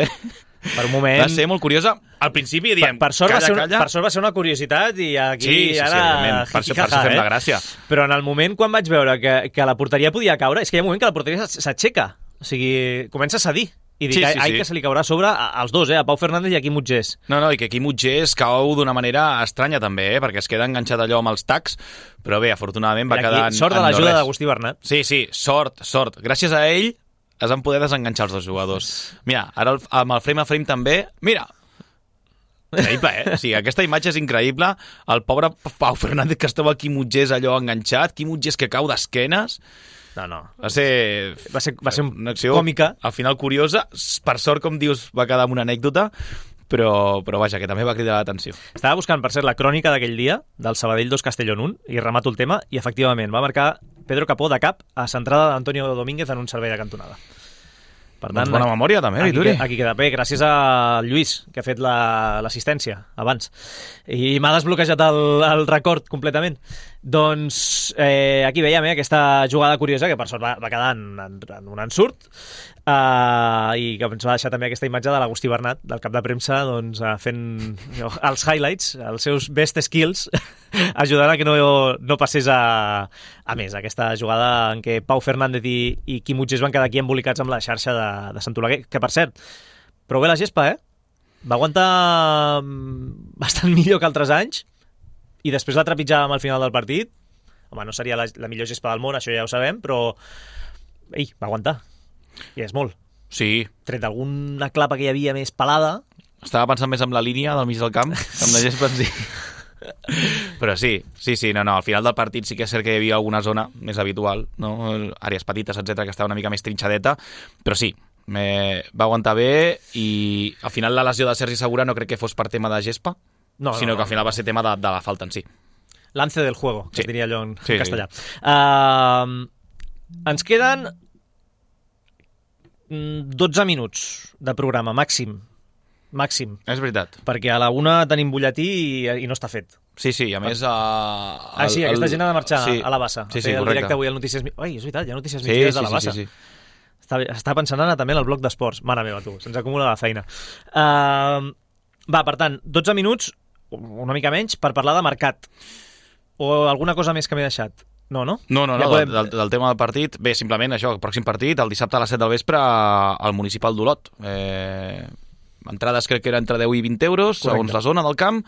Per un moment... Va ser molt curiosa. Al principi diem, per sort va ser una curiositat i aquí ara... Per això fem la gràcia. Però en el moment quan vaig veure que la porteria podia caure, és que hi ha un moment que la porteria s'aixeca. O sigui, comença a cedir. I dic, que se li caurà a sobre als dos, a Pau Fernández i a Quim Utgés. No, i que Quim Utgés cau d'una manera estranya també, perquè es queda enganxat allò amb els tacs, però bé, afortunadament va quedar en sort de l'ajuda d'Agustí Bernat. Sí, sort. Gràcies a ell es van poder desenganxar els dos jugadors. Mira, ara amb el frame a frame també... Mira! Increïble, O sigui, aquesta imatge és increïble. El pobre Pau Fernández que estava aquí Utgés allò enganxat, Quim Utgés que cau d'esquenes... No. Va ser una acció còmica. Al final curiosa. Per sort, com dius, va quedar amb una anècdota, però vaja, que també va cridar l'atenció. Estava buscant, per cert, la crònica d'aquell dia, del Sabadell 2 Castellón 1, i remato el tema, i efectivament va marcar Pedro Capó de cap a centrada d'Antonio Domínguez en un servei de cantonada. Per tant, bona memòria també, Vituri. Aquí queda bé, gràcies a Lluís, que ha fet l'assistència abans. I m'ha desbloquejat el record completament. Doncs aquí veiem aquesta jugada curiosa, que per sort va quedar en un ensurt, i que ens va deixar també aquesta imatge de l'Agustí Bernat, del cap de premsa, doncs, fent els highlights, els seus best skills, ajudant a que no passés a més aquesta jugada en què Pau Fernández i Quim Utgés van quedar aquí embolicats amb la xarxa de Sant Oleguer, que per cert, prou bé la gespa, va aguantar bastant millor que altres anys, i després la trepitjàvem al final del partit. Home, no seria la millor gespa del món, això ja ho sabem, però va aguantar. I és molt. Sí. Tret d'alguna clapa que hi havia més pelada. Estava pensant més en la línia del mig del camp, amb la gespa en si. Però sí, al final del partit sí que és cert que hi havia alguna zona més habitual, no? Àrees petites, etc, que estava una mica més trinxadeta, però sí, va aguantar bé, i al final la lesió de Sergi Segura no crec que fos per tema de gespa, sinó que al final va ser tema de la falta en si. Lance del juego, que Sí. es diria allò en Sí, castellà. Ens queden 12 minuts de programa, màxim, És veritat. perquè a la 1 tenim butlletí i no està fet. Sí, a més... Sí, aquesta gent ha de marxar a la Bassa. Sí, a fer el correcte. directe avui al Notícies... Ai, és veritat, hi ha Notícies Sí, Migdies de la Bassa. sí. Està pensant ara també en el bloc d'esports. Mare meva, tu, se'ns acumula la feina. Va, per tant, 12 minuts, una mica menys, per parlar de mercat. O alguna cosa més que m'he deixat. No? No, Ja podem... del tema del partit, bé, simplement això, el pròxim partit, el dissabte a les 7 del vespre al Municipal d'Olot. Entrades crec que era entre 10 i 20 euros, Correcte. segons la zona del camp,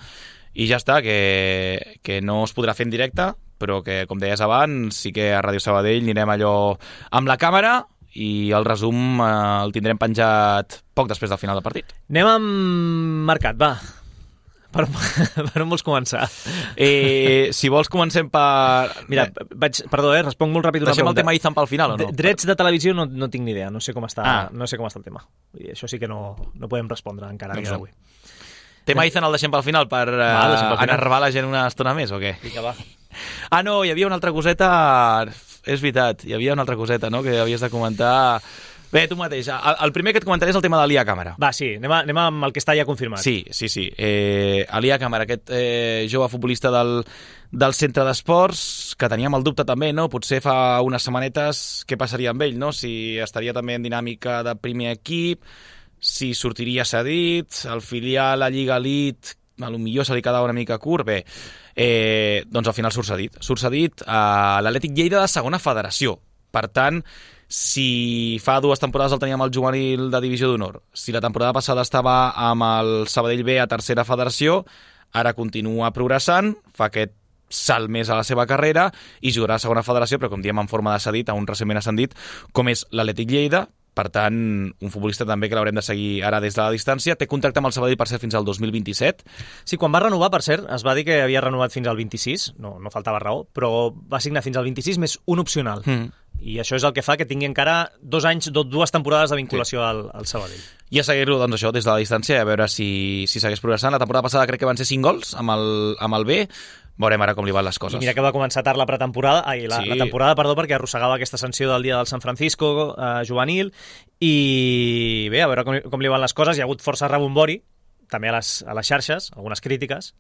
i ja està, que no es podrà fer en directe, però que, com deies abans, sí que a Ràdio Sabadell anirem allò amb la càmera i el resum el tindrem penjat poc després del final del partit. Anem amb mercat, va. Per on vols començar? Si vols comencem per... Mira, perdó, responc molt ràpid una Deixem el pregunta. tema Izan pel final, o no? Drets de televisió no tinc ni idea, no sé com està, Ah. no sé com està el tema. I això sí que no podem respondre encara Doncs dia no. d'avui. Tema Izan el deixem pel final per deixem pel final. enervar la gent una estona més, o què? Vinga, va. Ah, no, hi havia una altra coseta... És veritat, hi havia una altra coseta, no?, que havies de comentar... Bé, tu mateix. El primer que et comentaré és el tema de l'Ia Càmera. Va, sí, anem amb el que està ja confirmat. Sí. L'Ia Càmera, aquest jove futbolista del centre d'esports, que teníem el dubte també, no?, potser fa unes setmanetes què passaria amb ell, no?, si estaria també en dinàmica de primer equip, si sortiria cedit, el filial a Lliga Elite, potser se li quedava una mica curt. Bé, doncs al final surt cedit a l'Atlètic Lleida de segona federació. Per tant, si fa 2 temporades el teníem al juvenil de divisió d'honor, si la temporada passada estava amb el Sabadell B a tercera federació, ara continua progressant, fa aquest salt més a la seva carrera i jugarà a segona federació, però com diem en forma de cedit a un recentment ascendit com és l'Atlètic Lleida. Per tant, un futbolista també que l'haurem de seguir ara des de la distància. Té contracte amb el Sabadell per ser fins al 2027. Sí, quan va renovar, per cert, es va dir que havia renovat fins al 26, no faltava raó, però va signar fins al 26 més un opcional. I això és el que fa que tingui encara 2 anys, 2 temporades de vinculació al Sabadell. I a seguir-lo, doncs això, des de la distància, a veure si segueix progressant. La temporada passada crec que van ser 5 gols amb el B. Veurem ara com li van les coses. I mira que va començar tard la pretemporada, la temporada, perdó, perquè arrossegava aquesta sanció del dia del San Francisco juvenil, i bé, a veure com li van les coses. Hi ha hagut força rebombori, també a les xarxes, algunes crítiques,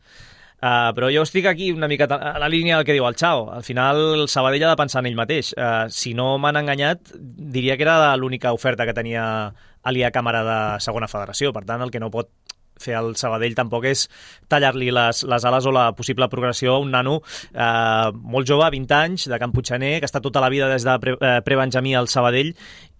però jo estic aquí una mica a la línia del que diu el Chao. Al final el Sabadell ha de pensar en ell mateix. Si no m'han enganyat, diria que era l'única oferta que tenia l'Ia Càmera de segona federació. Per tant, el que no pot fer el Sabadell tampoc és tallar-li les ales o la possible progressió a un nano molt jove, 20 anys, de Can Puigxaner, que està tota la vida des de pre-benjamí al Sabadell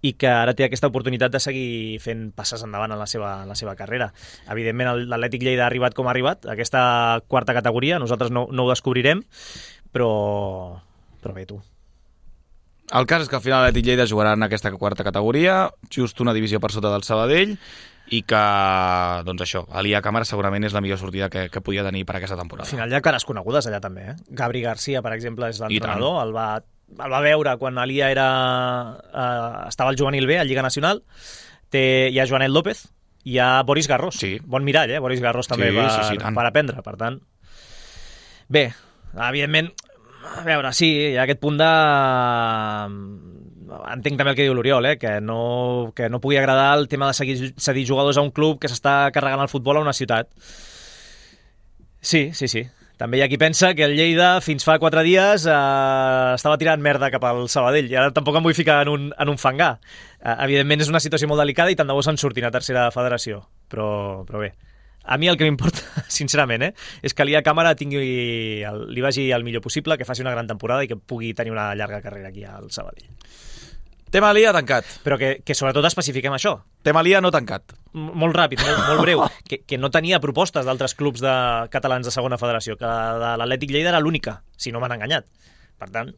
i que ara té aquesta oportunitat de seguir fent passes endavant en la seva carrera. Evidentment, l'Atlètic Lleida ha arribat com ha arribat, a aquesta quarta categoria, nosaltres no ho descobrirem, però bé, tu. El cas és que al final l'Atlètic Lleida jugarà en aquesta quarta categoria, just una divisió per sota del Sabadell, i que, doncs això, l'Ia Càmera segurament és la millor sortida que podia tenir per aquesta temporada. Al final hi ha cares conegudes allà també, eh? Gabri Garcia, per exemple, és l'entrenador, el va veure quan l'Ia estava al juvenil B, a Lliga Nacional. Hi ha Joanet López, hi ha Boris Garros. Sí. Bon mirall, Boris Garros també per aprendre, per tant. Bé, evidentment, a veure, sí, hi ha aquest punt de... Entenc també el que diu l'Oriol, que no pugui agradar el tema de cedir jugadors a un club que s'està carregant el futbol a una ciutat. Sí. També hi ha qui pensa que el Lleida fins fa 4 dies estava tirant merda cap al Sabadell i ara tampoc em vull ficar en un fangar. Evidentment és una situació molt delicada i tant de bo se'n surtin a tercera federació, però bé. A mi el que m'importa, sincerament, és que l'Ia Càmera li vagi el millor possible, que faci una gran temporada i que pugui tenir una llarga carrera aquí al Sabadell. Tema l'Ia tancat. Però que sobretot especifiquem això. Tema l'Ia no tancat. Molt ràpid, molt breu. Que no tenia propostes d'altres clubs catalans de segona federació, que de l'Atlètic Lleida era l'única, si no m'han enganyat. Per tant,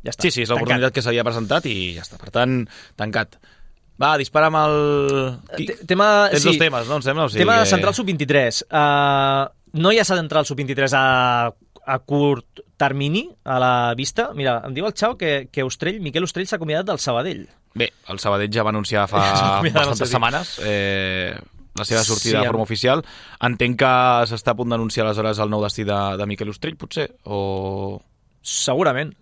ja està. Sí, és l'oportunitat que s'havia presentat i ja està. Per tant, tancat. Va, dispara amb el... Tens 2 temes, no? Em sembla? Tema central sub-23. No hi ha central sub-23 a curt termini a la vista. Mira, em diu el Chao que Miquel Ostrell s'ha acomiadat del Sabadell. Bé, el Sabadell ja va anunciar fa bastantes setmanes. la seva sortida de forma oficial. Entenc que s'està a punt d'anunciar aleshores el nou destí de Miquel Ostrell, potser, o... Segurament,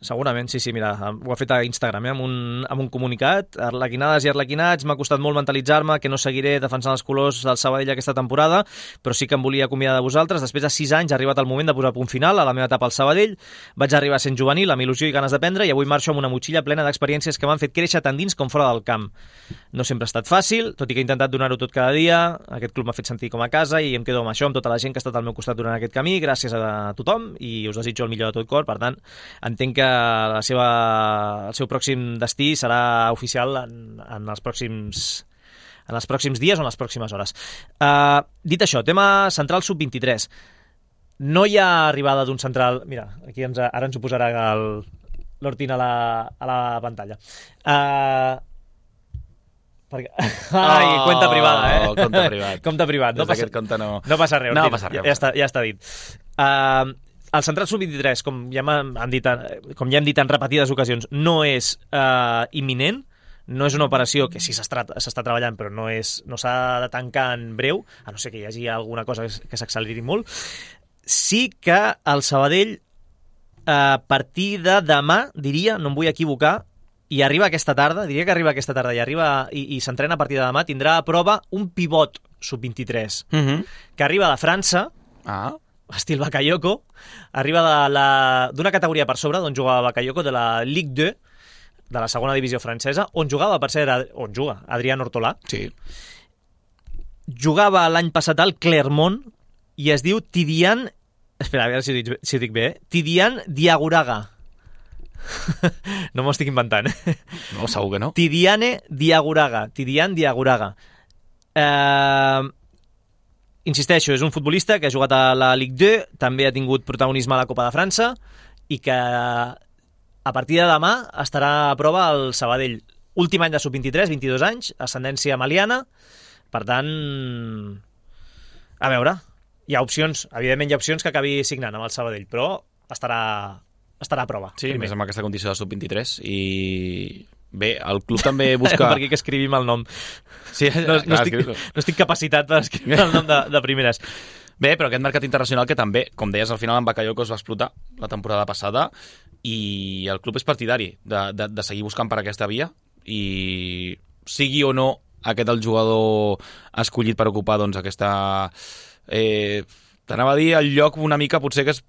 sí, mira, ho ha fet a Instagram, amb un comunicat, arlequinades i arlequinats, m'ha costat molt mentalitzar-me que no seguiré defensant els colors del Sabadell aquesta temporada, però sí que em volia acomiadar de vosaltres. Després de 6 anys ha arribat el moment de posar punt final a la meva etapa al Sabadell, vaig arribar sent juvenil, amb il·lusió i ganes d'aprendre, i avui marxo amb una motxilla plena d'experiències que m'han fet créixer tant dins com fora del camp. No sempre ha estat fàcil, tot i que he intentat donar-ho tot cada dia, aquest club m'ha fet sentir com a casa i em quedo amb això, amb tota la gent que ha estat al meu costat durant aquest camí, gràcies a tothom, i us desitjo el millor de tot cor. Per tant, entenc que el seu pròxim destí serà oficial en els pròxims dies o en les pròximes hores. Dit això, tema central sub-23. No hi ha arribada d'un central... Mira, aquí ara ens ho posarà l'Hortín a la pantalla. Compte privada, Compte privat. Compte privat. No passa res. No passa res. Ja està dit. El central sub-23, com ja hem dit en repetides ocasions, no és imminent, no és una operació que sí s'està treballant, però no s'ha de tancar en breu, a no ser que hi hagi alguna cosa que s'acceleri molt. Sí que el Sabadell, a partir de demà, diria, no em vull equivocar, i arriba aquesta tarda, i s'entrena a partir de demà, tindrà a prova un pivot sub-23, que arriba de França, estil Bakayoko, arriba d'una categoria per sobre d'on jugava Bakayoko, de la Ligue 2, de la segona divisió francesa, on juga Adrián Hortolà. Sí. Jugava l'any passat al Clermont i es diu Tidiane... Espera, a veure si ho dic bé. Tidiane Diagouraga. No m'ho estic inventant. No, segur que no. Tidiane Diagouraga. Insisteixo, és un futbolista que ha jugat a la Ligue 2, també ha tingut protagonisme a la Copa de França i que a partir de demà estarà a prova al Sabadell. Últim any de sub-23, 22 anys, ascendència maliana. Per tant, a veure, evidentment hi ha opcions que acabi signant amb el Sabadell, però estarà a prova. Sí, més amb aquesta condició de sub-23 i... Bé, el club també busca... Per aquí que escrivim el nom. Sí, no estic capacitat per escriure el nom de primeres. Bé, però aquest mercat internacional que també, com deies, al final en Bakayoko es va explotar la temporada passada i el club és partidari de seguir buscant per aquesta via i sigui o no aquest el jugador escollit per ocupar doncs, aquesta... T'anava a dir el lloc una mica potser que es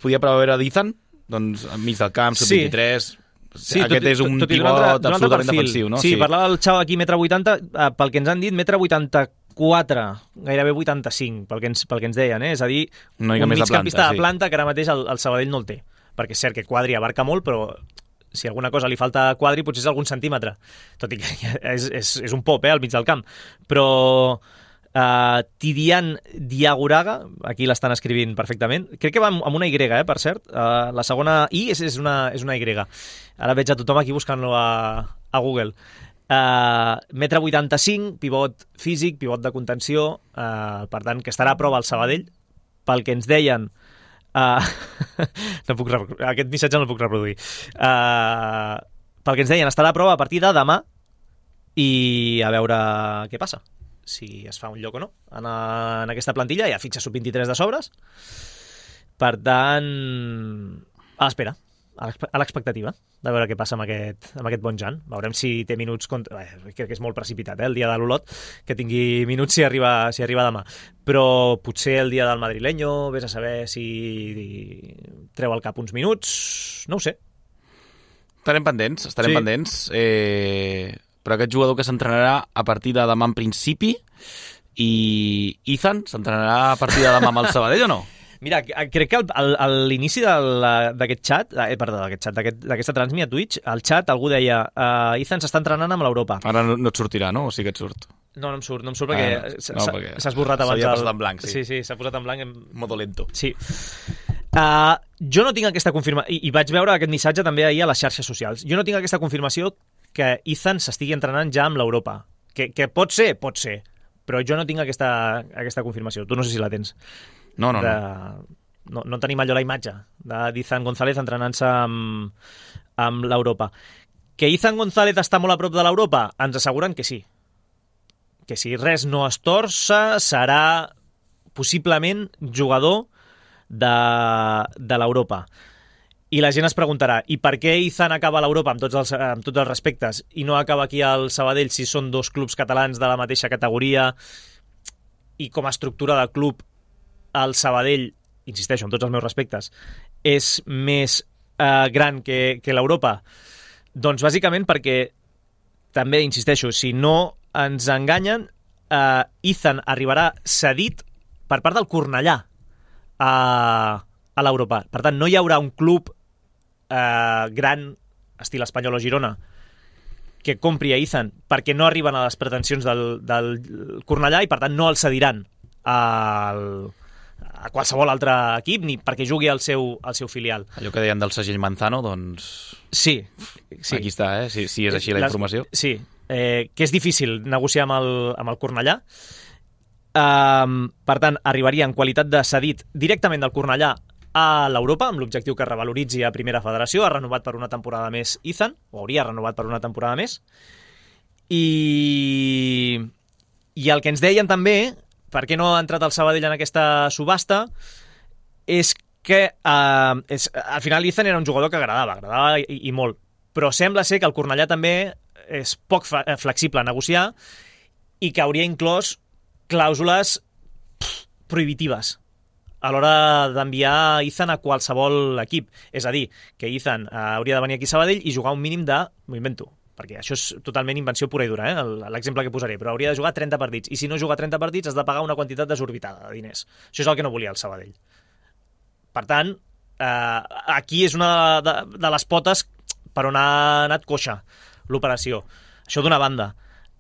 podia preveure d'Ethan, doncs enmig del camp, sub-23... Sí, aquest és un pivot absolutament defensiu, no? Sí, parlava el xau aquí, 1,80 m, pel que ens han dit, 1,84 m, gairebé 85, pel que ens deien, És a dir, un migcampista de planta que ara mateix el Sabadell no el té, perquè és cert que Quadri abarca molt, però si alguna cosa li falta a Quadri potser és algun centímetre, tot i que és un pop, al mig del camp, però... Tidiane Diagouraga, aquí l'estan escrivint perfectament, crec que va amb una Y, per cert, la segona I és una Y, ara veig a tothom aquí buscant-lo a Google. 1,85 m, pivot físic, pivot de contenció, per tant que estarà a prova al Sabadell, pel que ens deien aquest missatge no el puc reproduir, pel que ens deien estarà a prova a partir de demà i a veure què passa, si es fa un lloc o no en aquesta plantilla. Hi ha fitxa sub-23 de sobres, per tant a l'espera, a l'expectativa de veure què passa amb aquest bon Jan. Veurem si té minuts crec que és molt precipitat, el dia de l'Olot, que tingui minuts si arriba demà, però potser el dia del madrileño, vés a saber si treu al cap uns minuts, no ho sé. Estarem pendents. Però aquest jugador que s'entrenarà a partir de demà en principi, i Ethan s'entrenarà a partir de demà amb el Sabadell o no? Mira, crec que a l'inici d'aquest xat, d'aquesta transmi a Twitch, al xat algú deia Ethan s'està entrenant amb l'Europa. Ara no et sortirà, no? O sí que et surt? No em surt perquè s'ha esborrat abans. S'havia posat en blanc, sí. Sí, s'ha posat en blanc. Modo lento. Sí. Jo no tinc aquesta confirmació, i vaig veure aquest missatge també ahir a les xarxes socials, jo no tinc aquesta confirmació que Ethan s'estigui entrenant ja amb l'Europa. Que pot ser, però jo no tinc aquesta confirmació. Tu no sé si la tens. No. No tenim allò la imatge d'Ethan González entrenant-se amb l'Europa. Que Ethan González està molt a prop de l'Europa? Ens asseguren que sí. que si res no es torça serà possiblement jugador de l'Europa. I la gent es preguntarà, i per què Izan acaba a l'Europa amb tots els respectes i no acaba aquí al Sabadell si són dos clubs catalans de la mateixa categoria i com a estructura de club el Sabadell, insisteixo, amb tots els meus respectes, és més gran que l'Europa? Doncs bàsicament perquè, també insisteixo, si no ens enganyen, Izan arribarà cedit per part del Cornellà a l'Europa. Per tant, no hi haurà un club gran, estil Espanyol o Girona, que compri a Izan perquè no arriben a les pretensions del Cornellà i per tant no el cediran a qualsevol altre equip ni perquè jugui al seu filial. Allò que deien del segell Manzano, doncs... Sí. Aquí està, si és així la informació. Sí, que és difícil negociar amb el Cornellà. Per tant, arribaria en qualitat de cedit directament del Cornellà a l'Europa, amb l'objectiu que revaloritzi a Primera Federació. Ha renovat per una temporada més Izan, o hauria renovat per una temporada més. I el que ens deien també, per què no ha entrat el Sabadell en aquesta subhasta, és que al final Izan era un jugador que agradava i molt, però sembla ser que el Cornellà també és poc flexible a negociar i que hauria inclòs clàusules prohibitives a l'hora d'enviar Izan a qualsevol equip. És a dir, que Izan hauria de venir aquí a Sabadell i jugar un mínim de... M'ho invento, perquè això és totalment invenció pura i dura, l'exemple que posaré, però hauria de jugar 30 partits. I si no juga 30 partits has de pagar una quantitat desorbitada de diners. Això és el que no volia el Sabadell. Per tant, aquí és una de les potes per on ha anat coixa l'operació. Això d'una banda.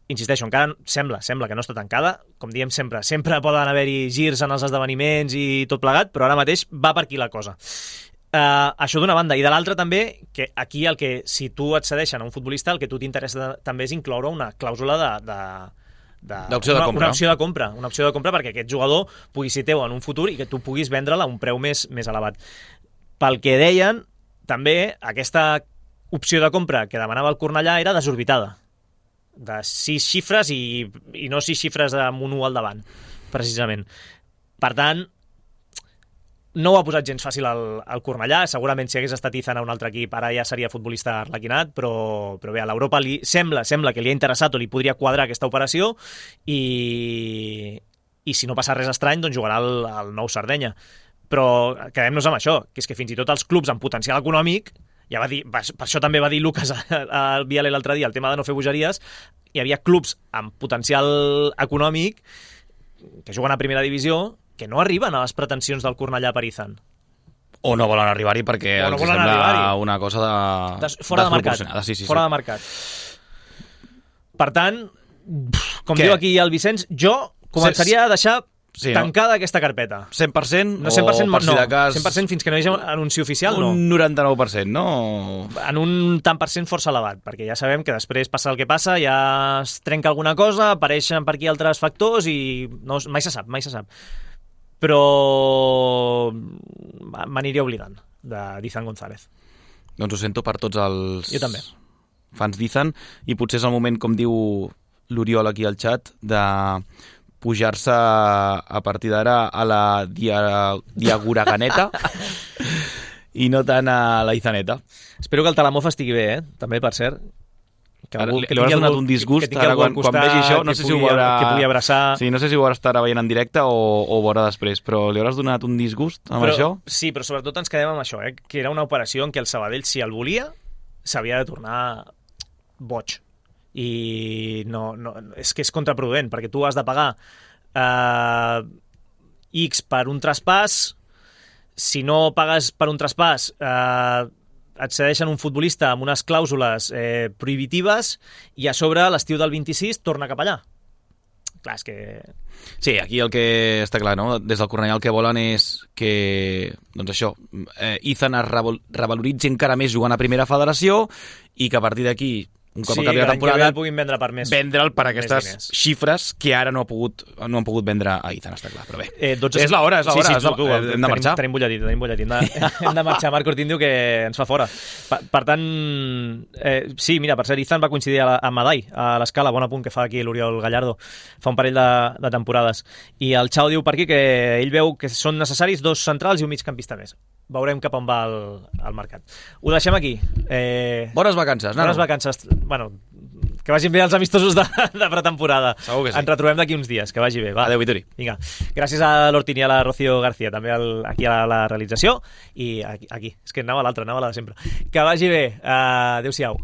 Insisteixo, encara sembla que no està tancada. Com diem sempre poden haver-hi girs en els esdeveniments i tot plegat, però ara mateix va per aquí la cosa. Això d'una banda. I de l'altra també, que aquí si tu et cedeixen a un futbolista, el que a tu t'interessa també és incloure una clàusula d'opció de compra. Una opció de compra perquè aquest jugador pugui ser teu en un futur i que tu puguis vendre'l a un preu més elevat. Pel que deien, també aquesta opció de compra que demanava el Cornellà era desorbitada, de 6 xifres i no 6 xifres amb un 1 al davant, precisament. Per tant, no ho ha posat gens fàcil al Cornellà. Segurament si hagués estat Izan a un altre equip ara ja seria futbolista arlequinat, però bé, a l'Europa sembla que li ha interessat o li podria quadrar aquesta operació i si no passa res estrany doncs jugarà al Nou Sardenya. Però quedem-nos amb això, que és que fins i tot els clubs amb potencial econòmic, ja va dir, per això també va dir Lucas al Viale l'altre dia, el tema de no fer bogeries, hi havia clubs amb potencial econòmic que juguen a primera divisió que no arriben a les pretensions del Cornellà per Izan. O no volen arribar-hi perquè els sembla una cosa fora de mercat. Sí. Fora de mercat. Per tant, com diu aquí el Vicenç, jo començaria a deixar tancada aquesta carpeta. 100%? No, 100% per si de cas... 100% fins que no hi hagi un anunci oficial, no. Un 99%, no? En un tant per cent força elevat, perquè ja sabem que després passa el que passa, ja es trenca alguna cosa, apareixen per aquí altres factors i no, mai se sap. Però m'aniria oblidant d'Izan González. Doncs ho sento per tots els fans d'Izan i potser és el moment, com diu l'Oriol aquí al xat, de pujar-se a partir d'ara a la diaguraganeta i no tant a la Izaneta. Espero que el Talamofa estigui bé, també, per cert. Que li hauràs donat un disgust ara quan vegi això, no sé si ho veurà, que pugui abraçar. Sí, no sé si ho veurà estar veient en directe o veurà després, però li hauràs donat un disgust amb això? Sí, però sobretot ens quedem amb això, que era una operació en què el Sabadell, si el volia, s'havia de tornar boig. I no, és que és contraproduent, perquè tu has de pagar X per un traspàs. Si no pagues per un traspàs, et cedeixen un futbolista amb unes clàusules prohibitives i a sobre l'estiu del 26 torna cap allà. Clar, és que... Sí, aquí el que està clar, no? Des del Cornellà el que volen és que, doncs això, Izan es revaloritzi encara més jugant a Primera Federació i que a partir d'aquí un cop Sí, acabi que la l'any que ve temporada, el puguin vendre per més. vendre'l per més aquestes diners. xifres que ara no han pogut vendre a Ethan, està clar, però bé. 12... És l'hora, Sí, hem de marxar. Tenim bulletit. Hem de marxar. Marc Ortín diu que ens fa fora. Per tant, sí, mira, per cert, Ethan va coincidir amb Madai, a l'Escala, bon apunt que fa aquí l'Oriol Gallardo, fa un parell de temporades. I el Xau diu per aquí que ell veu que són necessaris 2 centrals i un migcampista més. Veurem cap on va el mercat. Ho deixem aquí. Bones vacances, nano. Bones vacances. Bueno, que vagin bé els amistosos de pretemporada. Segur que sí. Ens retrobem d'aquí uns dies, que vagi bé. Va. Adéu, Vitori. Vinga. Gràcies a l'Hortín i a la Rocío García, també aquí a la realització. I aquí. És que anava a l'altra, anava a la de sempre. Que vagi bé. Adéu-siau.